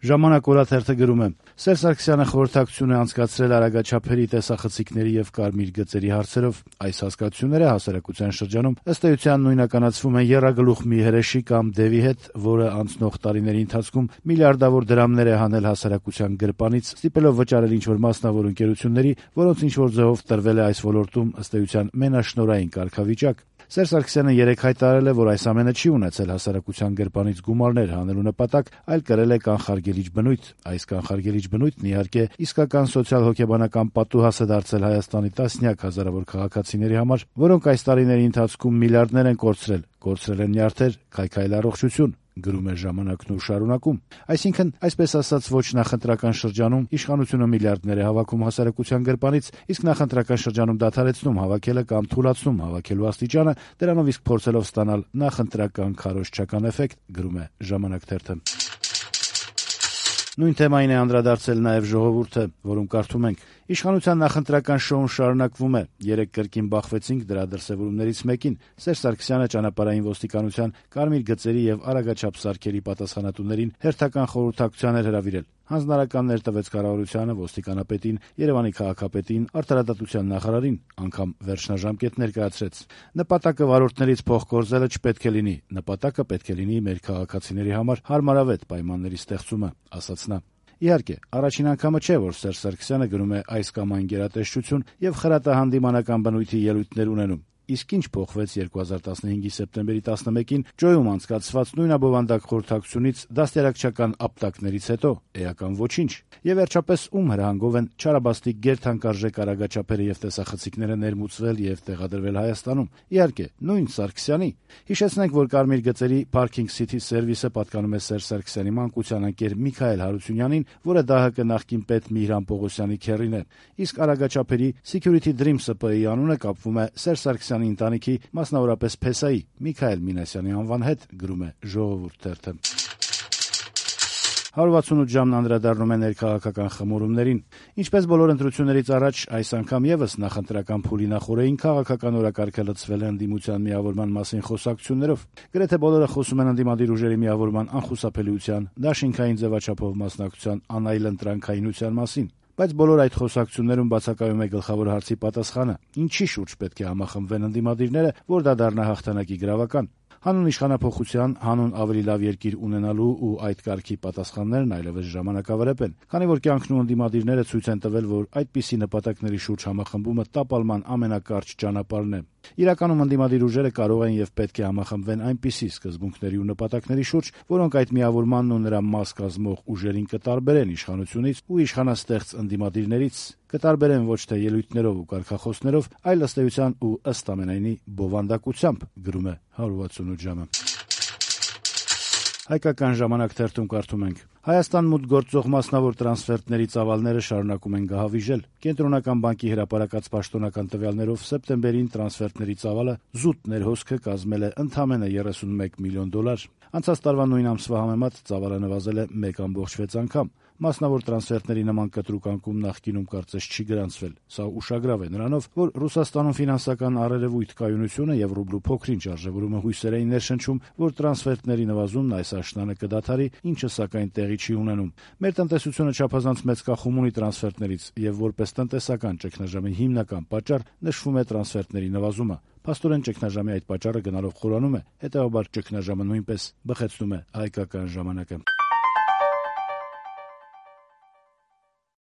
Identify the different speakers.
Speaker 1: Ժամանակ օրաթերթը գրում է. Սերժ Սարգսյանը խորհրդակցություն է անցկացրել արագաչափերի տեսախցիկների եւ կարմիր գծերի հարցերով։ Այս հասկացությունները հասարակության շրջանում ըստ էության նույնականացվում են եռագլուխ մի հրեշի կամ դևի հետ, որը անցնող տարիների ընթացքում միլիարդավոր դրամներ է հանել հասարակության գրպանից, ստիպելով վճարել ինչ-որ մասնավոր ընկերությունների, որոնց ինչ-որ ձևով տրվել է այս ոլորտում ըստ էության մենաշնորհային կարգավիճակ։ Սերժ Սարգսյանը երեկ հայտարարել է, որ այս ամենը չի ունեցել հասարակության գրպանից գումարներ հանելու նպատակ, այլ կրել է կանխարգելիչ բնույթ։ Այս կանխարգելիչ բնույթն իհարկե իսկական սոցիալ-հոգեբանական պատուհաս է դարձել Հայաստանի տասնյակ հազարավոր քաղաքացիների համար, որոնք այս տարիների ընթացքում միլիարդներ են կորցրել են նյարդեր, քայքայել առողջություն, գրում է «Ժամանակն» ու շարունակում։ Այսինքն, այսպես ասած, ոչ նախընտրական շրջանում իշխանությունը միլիարդներ է հավաքում հասարակության գրպանից, իսկ նախընտրական շրջանում դադարեցնում հավաքելը կամ թուլացնում հավաքելու աստիճանը, դրանով իսկ փորձելով ստանալ նախընտրական քարոզչական էֆեկտ, գրում է «Ժամանակ»-թերթը։ Նույն թեմային է անդրադարձել նաև «Ժողովուրդ»-ը, որում կարդում ենք. Իշխանության նախընտրական շոուն շարունակվում է։ Երեկ կրկին բախվեցինք դրա դրսևորումներից մեկին։ Սերժ Սարգսյանը ճանապարհային ոստիկանության, կարմիր գծերի եւ արագաչափ սարքերի պատասխանատուներին հերթական խորհրդակցության էր հրավիրել։ Հանձնարարականներ տվեց կառավարությանը, ոստիկանապետին, Երևանի քաղաքապետին, արդարադատության նախարարին, անգամ վերջնաժամկետ ներկայացրեց։ Նպատակը վարորդներից փող կորզելը չպետք է լինի։ Նպատակը պետք է լինի մեր քաղաքացիների համար հարմարավետ պայմանների ստեղծումը, ասաց նա։ Իհարկե, առաջին անգամը չէ, որ Սերժ Սարգսյանը գնում է այս կամ այն գերատեսչություն եւ խրատահանդիմանական բնույթի ելույթներ ունենում։ Իսկ ինչ փոխվեց 2015-ի սեպտեմբերի 11-ին Ջոյում անցկացված նույնաբովանդակ խորհրդակցությունից դաստիարակչական ապտակներից հետո? Էական ոչինչ։ Եվ վերջապես ում հրահանգով են չարաբաստիկ գերթանկարժեք արագաչափերը եւ տեսախցիկները ներմուծվել եւ տեղադրվել Հայաստանում։ Իհարկե, նույն Սարգսյանի։ Հիշեցնենք, որ կարմիր գծերի Parking City Service-ը պատկանում է Սերժ Սարգսյանի մանկության ընկեր Միքայել Հարությունյանին, որը ԴՀԿ նախկին պետ Միհրան Պողոսյանի քեռին է։ Իսկ արագաչափերի Security Dream ՍՊ-ի անունը կապվում է Սերժ Սարգսյանի ընտանիքի, մասնավորապես Փեսայի Միքայել Մինասյանի անվան հետ, գրում է «Ժողովուրդ»-ը։ 168 ժամն անդրադառնում է ներքաղաքական խմորումներին։ Ինչպես բոլոր ընտրություններից առաջ, այս անգամ եւս նախընտրական փուլի նախօրեին քաղաքական օրակարգը լցվել է ընդդիմության միավորման մասին խոսակցություններով։ Գրեթե բոլորը խոսում են ընդդիմադիր ուժերի միավորման անխուսափելիության, դաշինքային ձևաչափով մասնակցության անայլընտրանքայինության մասին։ Բայց բոլոր այդ խոսակցություններում բացակայում է գլխավոր հարցի պատասխանը. ինչի շուրջ պետք է համախմբվեն ընդդիմադիրները, որ դա դառնա հաղթանակի գրավական։ Հանուն իշխանափոխության, հանուն ավելի լավ երկիր ունենալու ու այդ կարգի պատասխաններն այլևս ժամանակավրեպ են, քանի որ կյանքն ու ընդդիմադիրները ցույց են տվել, որ այդպիսի նպատակների շուրջ համախմբումը տապալման ամենակարճ ճանապարհն է։ Իրականում ընդդիմադիր ուժերը կարող են եւ պետք է համախմբվեն այնպիսի սկզբունքների ու նպատակների շուրջ, որոնք այդ միավորմանն ու նրա մաս կազմող ուժերին կտարբերեն իշխանությունից ու իշխանաստեղծ ընդդիմադիրներից, կտարբերեն ոչ թե ելույթներով ու կարգախոսներով, այլ ըստ էության ու ըստ ամենայնի բովանդակությամբ, գրում է 168 ժամը։ Հայկական ժամանակ-թերթում կարդում ենք. Հայաստան մուտք գործող մասնավոր տրանսֆերտների ծավալները շարունակում են գահավիժել։ Կենտրոնական բանկի հրապարակած պաշտոնական տվյալներով սեպտեմբերին տրանսֆերտների ծավալը զուտ ներհոսքը կազմել է ընդամենը $31 միլիոն։ Անցած տարվա նույն ամսվա համեմատ ծավալը նվազել է 1.6 անգամ։ Մասնավոր տրանսֆերտների նման կտրուկ անկում նախկինում կարծես չի գրանցվել։ Սա ուշագրավ է նրանով, որ Ռուսաստանում ֆինանսական առերևույթ կայունությունը եւ ռուբլու փոքրինչ արժեվորումը հույսեր էին ներշնչում, որ տրանսֆերտների նվազումն այս աշնանը կդադարի, ինչը սակայն տեղի չի ունենում։ Մեր տնտեսությունը չափազանց մեծ կախում ունի տրանսֆերտներից եւ որպես տնտեսական ճգնաժամի հիմնական պատճառ նշվում է տրանսֆերտների նվազումը։ Փաստորեն ճգնաժամի այդ պատճառը գնալով խորանում է, հետեւաբար ճգնաժամը նույնպես բխեցնում է հայկական ժամանակը։